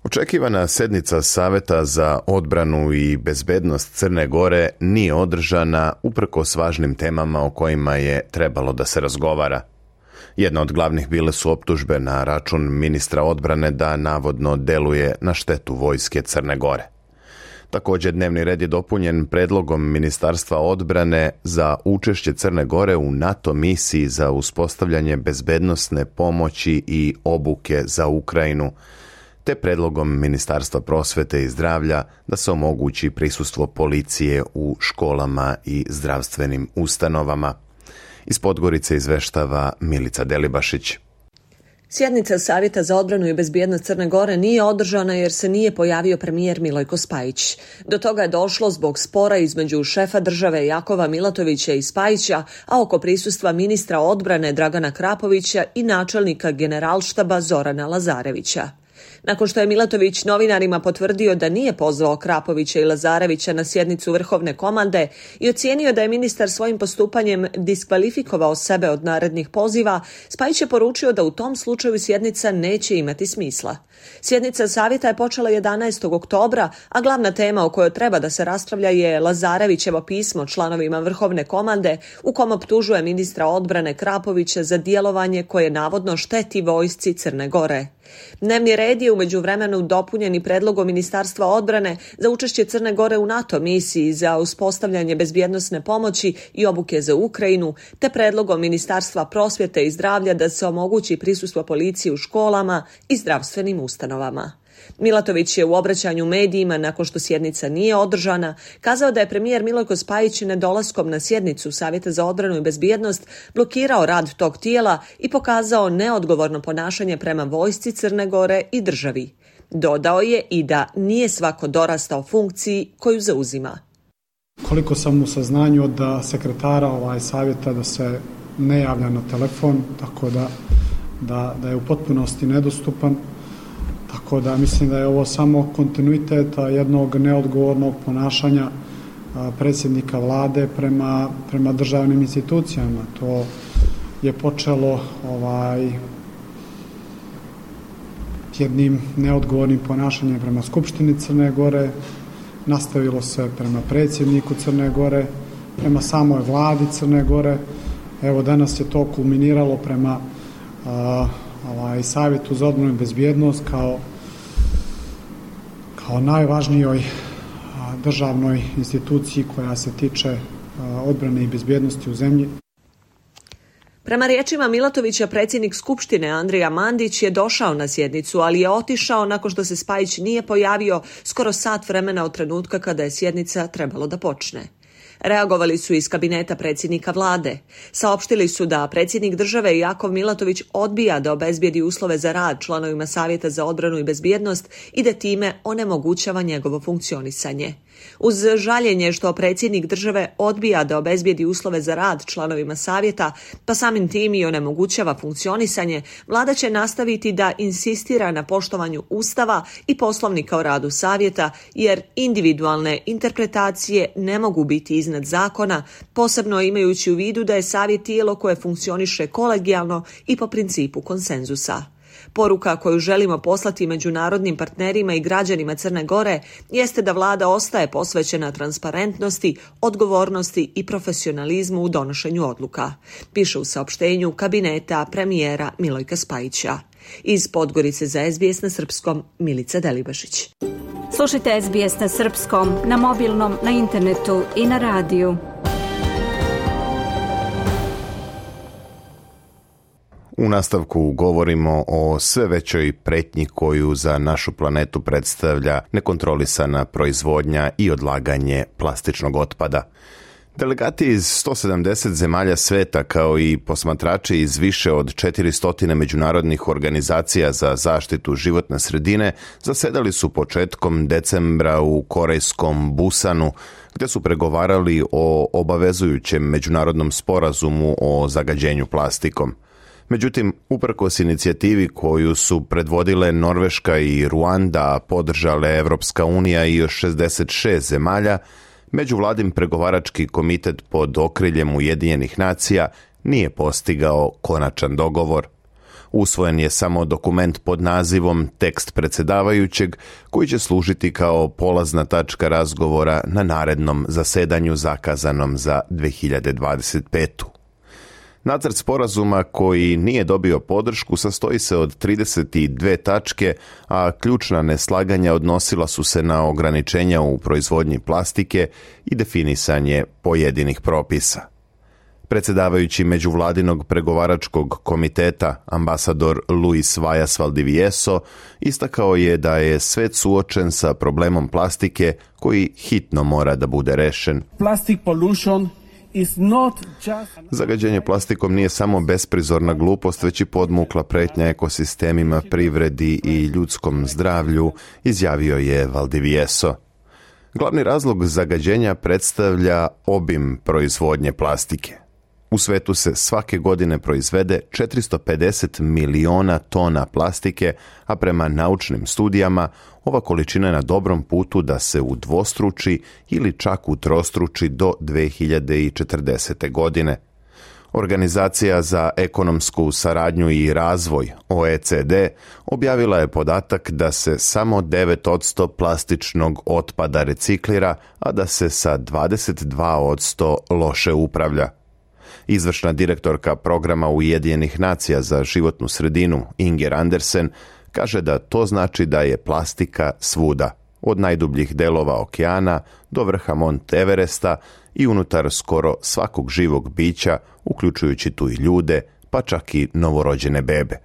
Očekivana sednica Saveta za odbranu i bezbednost Crne Gore nije održana uprkos važnim temama o kojima je trebalo da se razgovara. Jedna od glavnih bile su optužbe na račun ministra odbrane da navodno deluje na štetu vojske Crne Gore. Također dnevni red je dopunjen predlogom Ministarstva odbrane za učešće Crne Gore u NATO misiji za uspostavljanje bezbednosne pomoći i obuke za Ukrajinu, te predlogom Ministarstva prosvete i zdravlja da se omogući prisustvo policije u školama i zdravstvenim ustanovama. Iz Podgorice izveštava Milica Delibašić. Sjednica Savjeta za odbranu i bezbjednost Crne Gore nije održana jer se nije pojavio premijer Milojko Spajić. Do toga je došlo zbog spora između šefa države Jakova Milatovića i Spajića, a oko prisustva ministra odbrane Dragana Krapovića i načelnika generalštaba Zorana Lazarevića. Nakon što je Milatović novinarima potvrdio da nije pozvao Krapovića i Lazarevića na sjednicu Vrhovne komande i ocijenio da je ministar svojim postupanjem diskvalifikovao sebe od narednih poziva, Spajić je poručio da u tom slučaju sjednica neće imati smisla. Sjednica savjeta je počela 11. oktobra, a glavna tema o kojoj treba da se raspravlja je Lazarevićevo pismo članovima Vrhovne komande u kom optužuje ministra odbrane Krapovića za djelovanje koje navodno šteti vojsci Crne Gore. Dnevni red je u međuvremenu dopunjen i predlogom Ministarstva odbrane za učešće Crne Gore u NATO misiji za uspostavljanje bezbjednosne pomoći i obuke za Ukrajinu, te predlogom Ministarstva prosvjete i zdravlja da se omogući prisustvo policije u školama i zdravstvenim ustanovama. Milatović je u obraćanju medijima nakon što sjednica nije održana kazao da je premijer Milojko Spajić nedolaskom na sjednicu Savjeta za odbranu i bezbjednost blokirao rad tog tijela i pokazao neodgovorno ponašanje prema vojsci Crne Gore i državi. Dodao je i da nije svako dorastao funkciji koju zauzima. Koliko sam u saznanju od sekretara savjeta da se ne javlja na telefon, tako da je u potpunosti nedostupan, tako da mislim da je ovo samo kontinuitet jednog neodgovornog ponašanja predsjednika vlade prema državnim institucijama. To je počelo jednim neodgovornim ponašanjem prema Skupštini Crne Gore, nastavilo se prema predsjedniku Crne Gore, prema samoj vladi Crne Gore. Evo danas je to kulminiralo prema Savjetu za odbranu i bezbjednost kao najvažnijoj državnoj instituciji koja se tiče odbrane i bezbjednosti u zemlji. Prema riječima Milatovića, predsjednik Skupštine Andrija Mandić je došao na sjednicu, ali je otišao nakon što se Spajić nije pojavio skoro sat vremena od trenutka kada je sjednica trebalo da počne. Reagovali su iz kabineta predsjednika vlade. Saopštili su da predsjednik države Jakov Milatović odbija da obezbijedi uslove za rad članovima Savjeta za odbranu i bezbjednost i da time onemogućava njegovo funkcionisanje. Uz žaljenje što predsjednik države odbija da obezbijedi uslove za rad članovima savjeta, pa samim tim i onemogućava funkcionisanje, vlada će nastaviti da insistira na poštovanju Ustava i Poslovnika o radu savjeta, jer individualne interpretacije ne mogu biti iznad zakona, posebno imajući u vidu da je savjet tijelo koje funkcioniše kolegijalno i po principu konsenzusa. Poruka koju želimo poslati međunarodnim partnerima i građanima Crne Gore jeste da vlada ostaje posvećena transparentnosti, odgovornosti i profesionalizmu u donošenju odluka, piše u saopštenju kabineta premijera Milojka Spajića. Iz Podgorice za SBS na srpskom, Milica Delibašić. Slušajte SBS na srpskom, na mobilnom, na internetu i na radiju. U nastavku govorimo o sve većoj pretnji koju za našu planetu predstavlja nekontrolisana proizvodnja i odlaganje plastičnog otpada. Delegati iz 170 zemalja sveta kao i posmatrači iz više od 400 međunarodnih organizacija za zaštitu životne sredine zasedali su početkom decembra u korejskom Busanu, gdje su pregovarali o obavezujućem međunarodnom sporazumu o zagađenju plastikom. Međutim, uprkos inicijativi koju su predvodile Norveška i Ruanda, podržale Evropska unija i još 66 zemalja, međuvladin pregovarački komitet pod okriljem Ujedinjenih nacija nije postigao konačan dogovor. Usvojen je samo dokument pod nazivom tekst predsjedavajućeg, koji će služiti kao polazna tačka razgovora na narednom zasedanju zakazanom za 2025. Nacrt sporazuma koji nije dobio podršku sastoji se od 32 tačke, a ključna neslaganja odnosila su se na ograničenja u proizvodnji plastike i definisanje pojedinih propisa. Predsjedavajući međuvladinog pregovaračkog komiteta, ambasador Luis Vallas Valdivieso, istakao je da je svet suočen sa problemom plastike koji hitno mora da bude rešen. Plastic pollution. Zagađenje plastikom nije samo besprizorna glupost, već i podmukla pretnja ekosistemima, privredi i ljudskom zdravlju, izjavio je Valdivieso. Glavni razlog zagađenja predstavlja obim proizvodnje plastike. U svetu se svake godine proizvede 450 miliona tona plastike, a prema naučnim studijama ova količina je na dobrom putu da se udvostruči ili čak utrostruči do 2040. godine. Organizacija za ekonomsku saradnju i razvoj, OECD, objavila je podatak da se samo 9% plastičnog otpada reciklira, a da se sa 22% loše upravlja. Izvršna direktorka programa Ujedinjenih nacija za životnu sredinu, Inger Andersen, kaže da to znači da je plastika svuda, od najdubljih delova okeana do vrha Mont Everesta i unutar skoro svakog živog bića, uključujući tu i ljude, pa čak i novorođene bebe.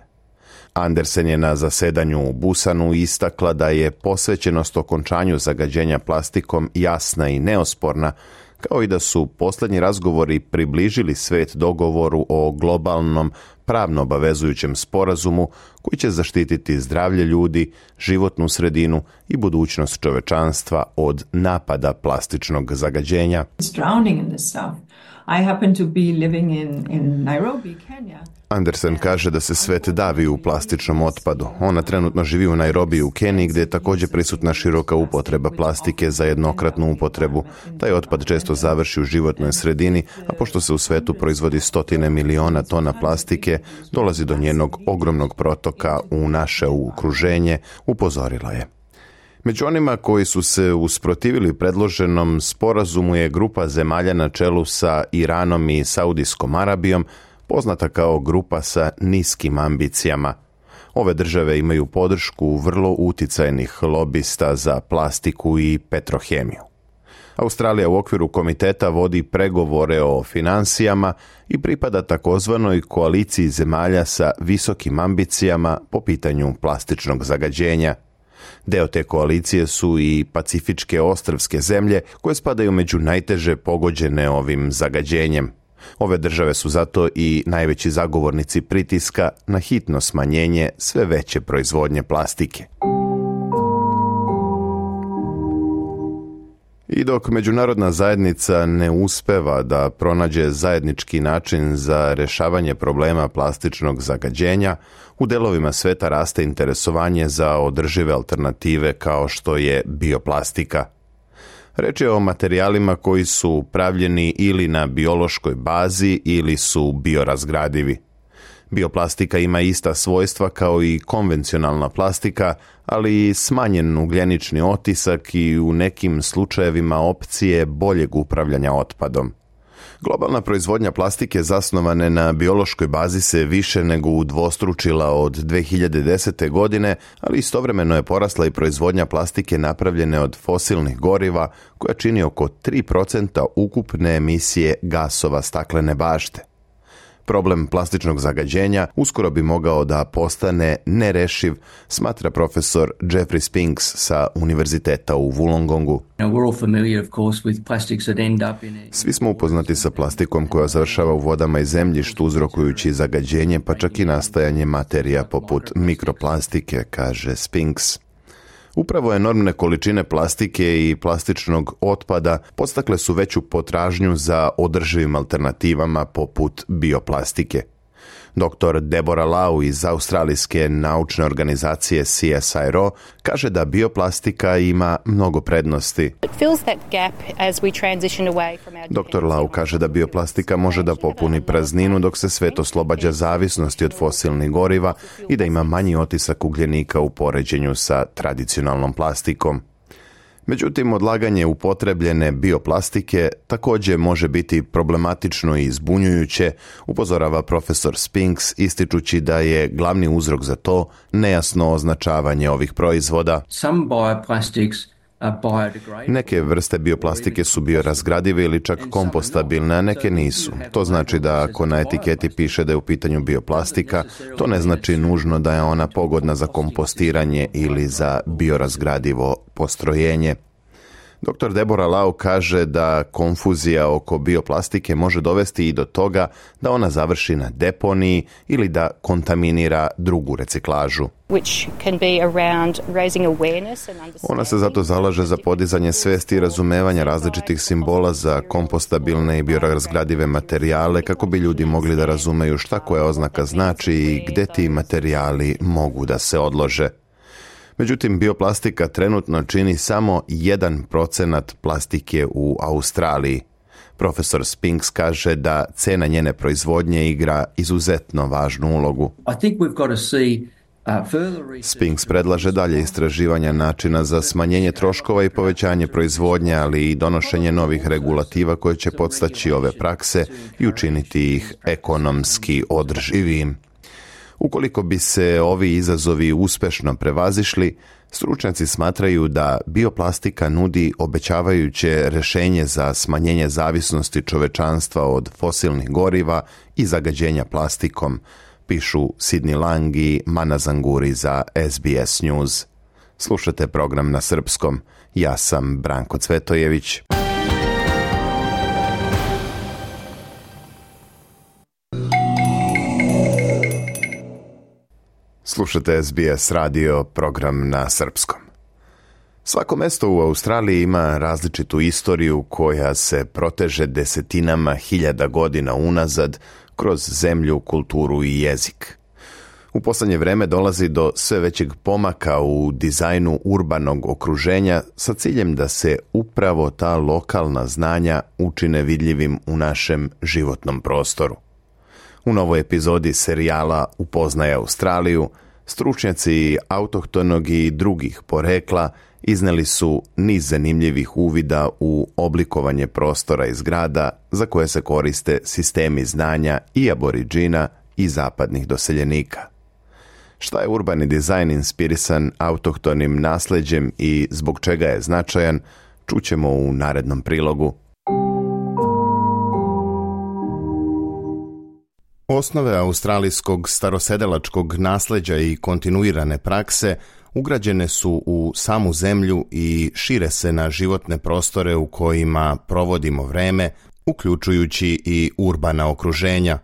Andersen je na zasedanju u Busanu istakla da je posvećenost okončanju zagađenja plastikom jasna i neosporna, kao i da su posljednji razgovori približili svet dogovoru o globalnom pravno obavezujućem sporazumu koji će zaštititi zdravlje ljudi, životnu sredinu i budućnost čovečanstva od napada plastičnog zagađenja. Andersen kaže da se svet davi u plastičnom otpadu. Ona trenutno živi u Nairobiju u Keniji, gdje je također prisutna široka upotreba plastike za jednokratnu upotrebu. Taj otpad često završi u životnoj sredini, a pošto se u svetu proizvodi 100 miliona tona plastike, dolazi do njenog ogromnog protoka u naše okruženje, upozorila je. Među onima koji su se usprotivili predloženom sporazumu je grupa zemalja na čelu sa Iranom i Saudijskom Arabijom, poznata kao grupa sa niskim ambicijama. Ove države imaju podršku vrlo uticajnih lobista za plastiku i petrohemiju. Australija u okviru komiteta vodi pregovore o financijama i pripada takozvanoj koaliciji zemalja sa visokim ambicijama po pitanju plastičnog zagađenja. Deo te koalicije su i pacifičke ostrvske zemlje koje spadaju među najteže pogođene ovim zagađenjem. Ove države su zato i najveći zagovornici pritiska na hitno smanjenje sve veće proizvodnje plastike. I dok međunarodna zajednica ne uspeva da pronađe zajednički način za rješavanje problema plastičnog zagađenja, u delovima sveta raste interesovanje za održive alternative kao što je bioplastika. Reč je o materijalima koji su pravljeni ili na biološkoj bazi ili su biorazgradivi. Bioplastika ima ista svojstva kao i konvencionalna plastika, ali i smanjen ugljenični otisak i u nekim slučajevima opcije boljeg upravljanja otpadom. Globalna proizvodnja plastike zasnovane na biološkoj bazi se više nego udvostručila od 2010. godine, ali istovremeno je porasla i proizvodnja plastike napravljene od fosilnih goriva, koja čini oko 3% ukupne emisije gasova staklene bašte. Problem plastičnog zagađenja uskoro bi mogao da postane nerešiv, smatra profesor Jeffrey Spinks sa Univerziteta u Wollongongu. Svi smo upoznati sa plastikom koja završava u vodama i zemljištu uzrokujući zagađenje, pa čak i nastajanje materija poput mikroplastike, kaže Spinks. Upravo enormne količine plastike i plastičnog otpada podstakle su veću potražnju za održivim alternativama poput bioplastike. Dr. Deborah Lau iz australijske naučne organizacije CSIRO kaže da bioplastika ima mnogo prednosti. Dr. Lau kaže da bioplastika može da popuni prazninu dok se svet oslobađa zavisnosti od fosilnih goriva i da ima manji otisak ugljenika u poređenju sa tradicionalnom plastikom. Međutim, odlaganje upotrebljene bioplastike također može biti problematično i zbunjujuće, upozorava profesor Spinks, ističući da je glavni uzrok za to nejasno označavanje ovih proizvoda. Neke vrste bioplastike su biorazgradive ili čak kompostabilne, a neke nisu. To znači da ako na etiketi piše da je u pitanju bioplastika, to ne znači nužno da je ona pogodna za kompostiranje ili za biorazgradivo postrojenje. Dr. Deborah Lau kaže da konfuzija oko bioplastike može dovesti i do toga da ona završi na deponiji ili da kontaminira drugu reciklažu. Ona se zato zalaže za podizanje svesti i razumevanja različitih simbola za kompostabilne i biorazgradive materijale kako bi ljudi mogli da razumeju šta koja oznaka znači i gde ti materijali mogu da se odlože. Međutim, bioplastika trenutno čini samo 1% plastike u Australiji. Profesor Spinks kaže da cena njene proizvodnje igra izuzetno važnu ulogu. Spinks predlaže dalje istraživanja načina za smanjenje troškova i povećanje proizvodnje, ali i donošenje novih regulativa koje će podstaći ove prakse i učiniti ih ekonomski održivijim. Ukoliko bi se ovi izazovi uspešno prevazišli, stručnjaci smatraju da bioplastika nudi obećavajuće rješenje za smanjenje zavisnosti čovečanstva od fosilnih goriva i zagađenja plastikom, pišu Sidney Lang i Mana Zanguri za SBS News. Slušate program na srpskom. Ja sam Branko Cvetojević. Slušate SBS radio, program na srpskom. Svako mesto u Australiji ima različitu istoriju koja se proteže desetinama hiljada godina unazad kroz zemlju, kulturu i jezik. U poslednje vreme dolazi do sve većeg pomaka u dizajnu urbanog okruženja sa ciljem da se upravo ta lokalna znanja učine vidljivim u našem životnom prostoru. U novoj epizodi serijala Upoznaj Australiju, stručnjaci autohtonog i drugih porekla izneli su niz zanimljivih uvida u oblikovanje prostora i zgrada za koje se koriste sistemi znanja i aboriđina i zapadnih doseljenika. Šta je urbani dizajn inspirisan autohtonim nasleđem i zbog čega je značajan, čućemo u narednom prilogu. Osnove australijskog starosedelačkog nasleđa i kontinuirane prakse ugrađene su u samu zemlju i šire se na životne prostore u kojima provodimo vreme, uključujući i urbana okruženja.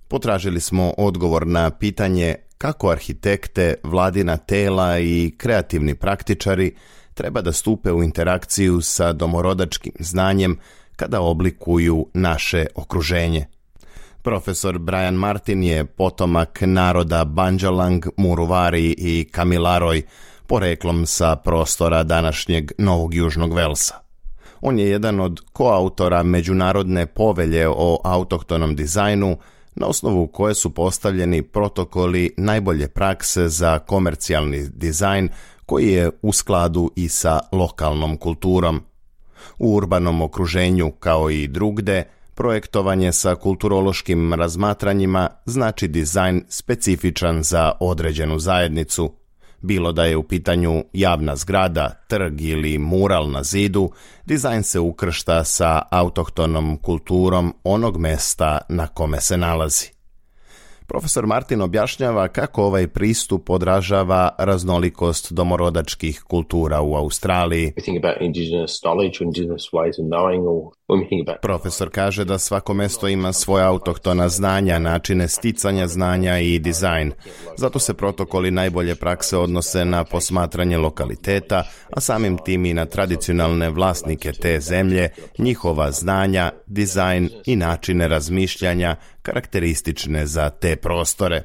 Potražili smo odgovor na pitanje kako arhitekte, vladina tela i kreativni praktičari treba da stupe u interakciju sa domorodačkim znanjem kada oblikuju naše okruženje. Profesor Brian Martin je potomak naroda Bundjalung, Muruvari i Kamilaroj, poreklom sa prostora današnjeg Novog Južnog Velsa. On je jedan od koautora Međunarodne povelje o autohtonom dizajnu, na osnovu koje su postavljeni protokoli najbolje prakse za komercijalni dizajn koji je u skladu i sa lokalnom kulturom. U urbanom okruženju, kao i drugde, projektovanje sa kulturološkim razmatranjima znači dizajn specifičan za određenu zajednicu. Bilo da je u pitanju javna zgrada, trg ili mural na zidu, dizajn se ukršta sa autohtonom kulturom onog mesta na kome se nalazi. Profesor Martin objašnjava kako ovaj pristup odražava raznolikost domorodačkih kultura u Australiji. Profesor kaže da svako mesto ima svoja autohtona znanja, načine sticanja znanja i dizajn. Zato se protokoli najbolje prakse odnose na posmatranje lokaliteta, a samim tim i na tradicionalne vlasnike te zemlje, njihova znanja, dizajn i načine razmišljanja karakteristične za te prostore.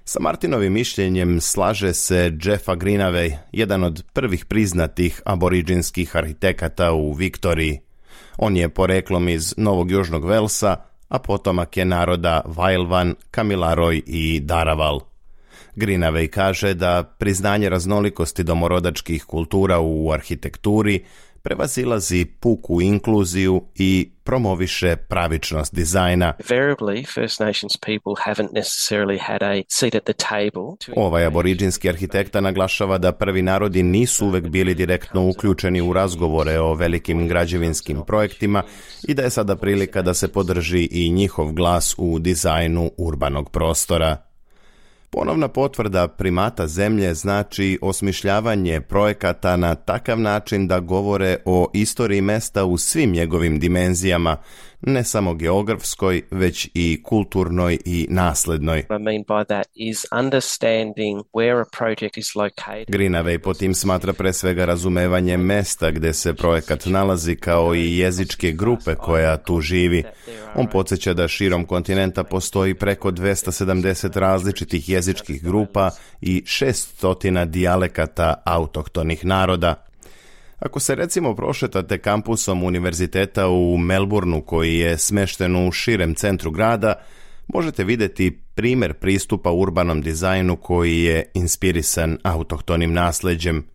Sa Martinovim mišljenjem slaže se Jeffa Greenaway, jedan od prvih priznatih aboriđinskih arhitekata u Viktoriji. On je poreklom iz Novog Južnog Velsa, a potomak je naroda Wailwan, Kamilaroj i Darawal. Greenaway kaže da priznanje raznolikosti domorodačkih kultura u arhitekturi prevazilazi puku inkluziju i promoviše pravičnost dizajna. Ovaj aboriđinski arhitekta naglašava da prvi narodi nisu uvek bili direktno uključeni u razgovore o velikim građevinskim projektima i da je sada prilika da se podrži i njihov glas u dizajnu urbanog prostora. Ponovna potvrda primata zemlje znači osmišljavanje projekata na takav način da govore o istoriji mesta u svim njegovim dimenzijama, ne samo geografskoj, već i kulturnoj i naslednoj. Greenaway po tim smatra pre svega razumevanje mesta gde se projekat nalazi kao i jezičke grupe koja tu živi. On podsjeća da širom kontinenta postoji preko 270 različitih jezičkih grupa i 600 dijalekata autohtonih naroda. Ako se recimo prošetate kampusom univerziteta u Melbourneu koji je smešten u širem centru grada, možete vidjeti primjer pristupa urbanom dizajnu koji je inspirisan autohtonim nasleđem.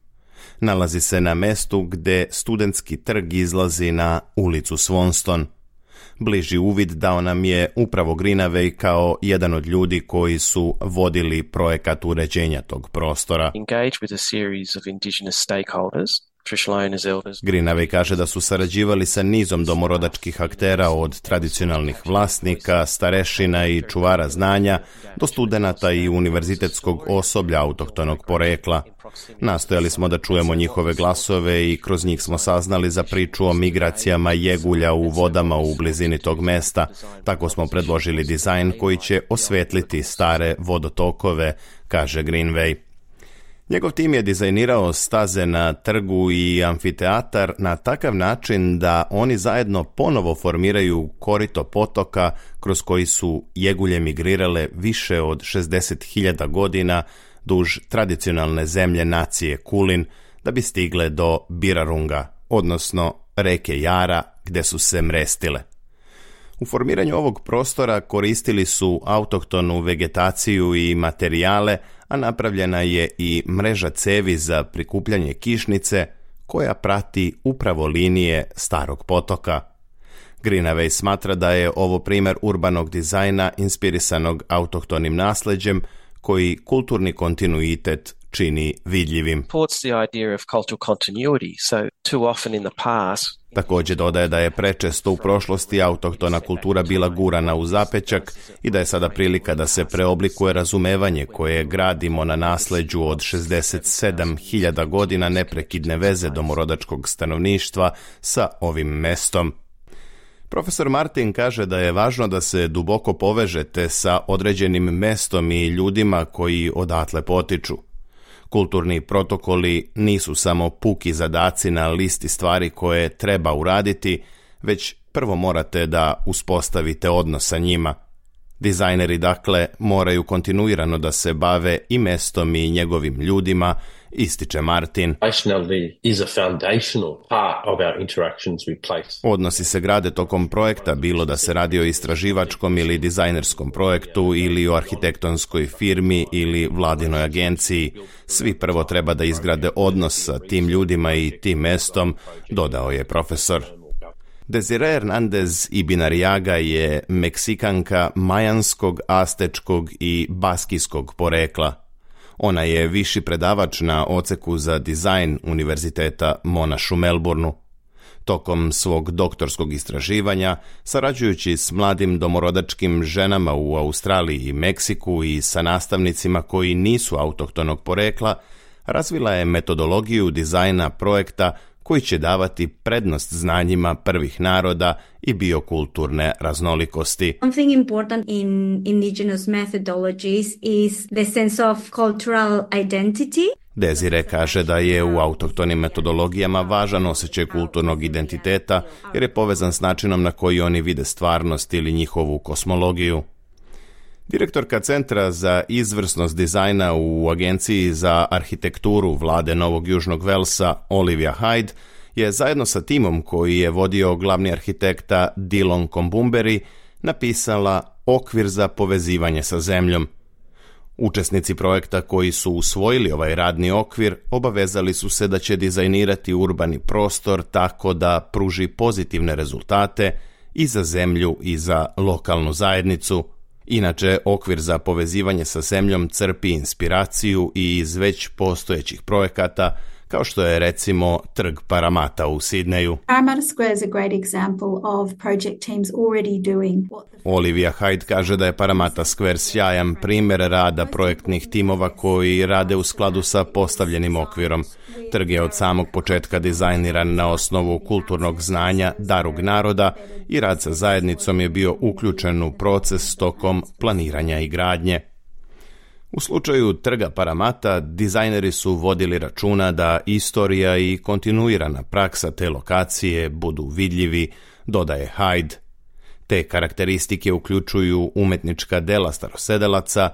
Nalazi se na mestu gde studentski trg izlazi na ulicu Swanston. Bliži uvid dao nam je upravo Greenaway kao jedan od ljudi koji su vodili projekat uređenja tog prostora. Greenaway kaže da su sarađivali sa nizom domorodačkih aktera od tradicionalnih vlasnika, starešina i čuvara znanja do studenata i univerzitetskog osoblja autohtonog porekla. Nastojali smo da čujemo njihove glasove i kroz njih smo saznali za priču o migracijama jegulja u vodama u blizini tog mesta. Tako smo predložili dizajn koji će osvetliti stare vodotokove, kaže Greenaway. Njegov tim je dizajnirao staze na trgu i amfiteatar na takav način da oni zajedno ponovo formiraju korito potoka kroz koji su jegulje migrirale više od 60.000 godina duž tradicionalne zemlje nacije Kulin da bi stigle do Birarunga, odnosno reke Jara gde su se mrestile. U formiranju ovog prostora koristili su autohtonu vegetaciju i materijale, a napravljena je i mreža cevi za prikupljanje kišnice koja prati upravo linije starog potoka. Greenaway smatra da je ovo primjer urbanog dizajna inspirisanog autohtonim nasleđem koji kulturni kontinuitet čini vidljivim. Također dodaje da je prečesto u prošlosti autohtona kultura bila gurana u zapećak i da je sada prilika da se preoblikuje razumevanje koje gradimo na nasleđu od 67.000 godina neprekidne veze domorodačkog stanovništva sa ovim mestom. Profesor Martin kaže da je važno da se duboko povežete sa određenim mestom i ljudima koji odatle potiču. Kulturni protokoli nisu samo puki zadaci na listi stvari koje treba uraditi, već prvo morate da uspostavite odnos sa njima. Dizajneri, dakle, moraju kontinuirano da se bave i mestom i njegovim ljudima, ističe Martin. Odnosi se grade tokom projekta, bilo da se radi o istraživačkom ili dizajnerskom projektu ili o arhitektonskoj firmi ili vladinoj agenciji. Svi prvo treba da izgrade odnos sa tim ljudima i tim mestom, dodao je profesor. Desiree Hernandez Ibinariaga je Meksikanka majanskog, astečkog i baskijskog porekla. Ona je viši predavač na odseku za dizajn Univerziteta Monash u Melbourneu. Tokom svog doktorskog istraživanja, sarađujući s mladim domorodačkim ženama u Australiji i Meksiku i sa nastavnicima koji nisu autohtonog porekla, razvila je metodologiju dizajna projekta koji će davati prednost znanjima prvih naroda i biokulturne raznolikosti. Something important in indigenous methodologies is the sense of cultural identity. Desire kaže da je u autohtonim metodologijama važan osjećaj kulturnog identiteta jer je povezan s načinom na koji oni vide stvarnost ili njihovu kosmologiju. Direktorka Centra za izvrsnost dizajna u Agenciji za arhitekturu vlade Novog Južnog Velsa, Olivia Hyde, je zajedno sa timom koji je vodio glavni arhitekta Dillon Kombumberi napisala okvir za povezivanje sa zemljom. Učesnici projekta koji su usvojili ovaj radni okvir obavezali su se da će dizajnirati urbani prostor tako da pruži pozitivne rezultate i za zemlju i za lokalnu zajednicu. Inače, okvir za povezivanje sa zemljom crpi inspiraciju i iz već postojećih projekata, kao što je recimo Trg Paramata u Sidneju. Parramatta Square is a great example of project teams already doing what the... Olivia Hyde kaže da je Parramatta Square sjajan primjer rada projektnih timova koji rade u skladu sa postavljenim okvirom. Trg je od samog početka dizajniran na osnovu kulturnog znanja Darug naroda i rad sa zajednicom je bio uključen u proces tokom planiranja i gradnje. U slučaju Trga Paramata, dizajneri su vodili računa da istorija i kontinuirana praksa te lokacije budu vidljivi, dodaje Hyde. Te karakteristike uključuju umetnička dela starosedelaca,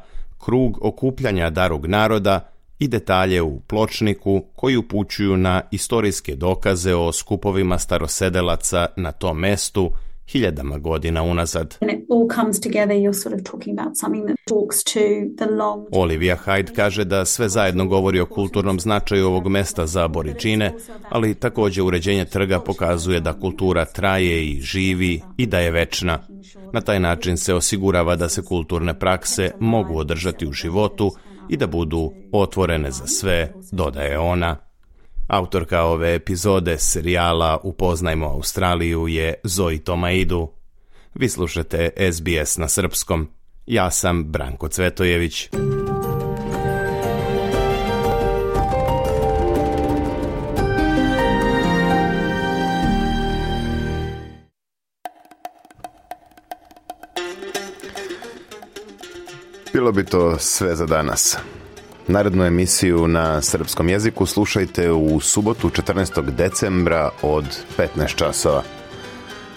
krug okupljanja Darug naroda i detalje u pločniku koji upućuju na istorijske dokaze o skupovima starosedelaca na tom mestu hiljadama godina unazad. Olivia Hyde kaže da sve zajedno govori o kulturnom značaju ovog mesta za Aboriđine, ali također uređenje trga pokazuje da kultura traje i živi i da je večna. Na taj način se osigurava da se kulturne prakse mogu održati u životu i da budu otvorene za sve, dodaje ona. Autorka ove epizode serijala Upoznajmo Australiju je Zoe Tomaidu. Vi slušate SBS na srpskom. Ja sam Branko Cvetojević. Bilo bi to sve za danas. Narednu emisiju na srpskom jeziku slušajte u subotu 14. decembra od 15 časova.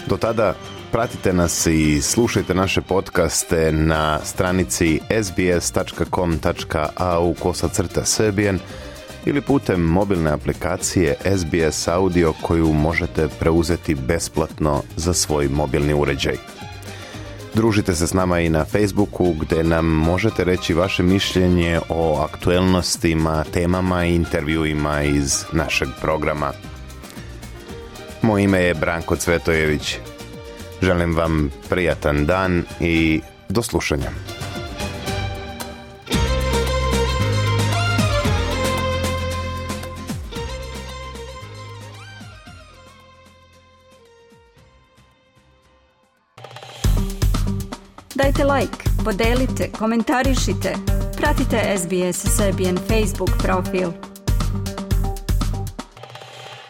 Do tada pratite nas i slušajte naše podcaste na stranici sbs.com.au/serbian ili putem mobilne aplikacije SBS Audio koju možete preuzeti besplatno za svoj mobilni uređaj. Družite se s nama i na Facebooku gdje nam možete reći vaše mišljenje o aktuelnostima, temama i intervjuima iz našeg programa. Moje ime je Branko Cvetojević. Želim vam prijatan dan i do slušanja. Dajte like, podelite, komentarišite, pratite SBS Serbian Facebook profil.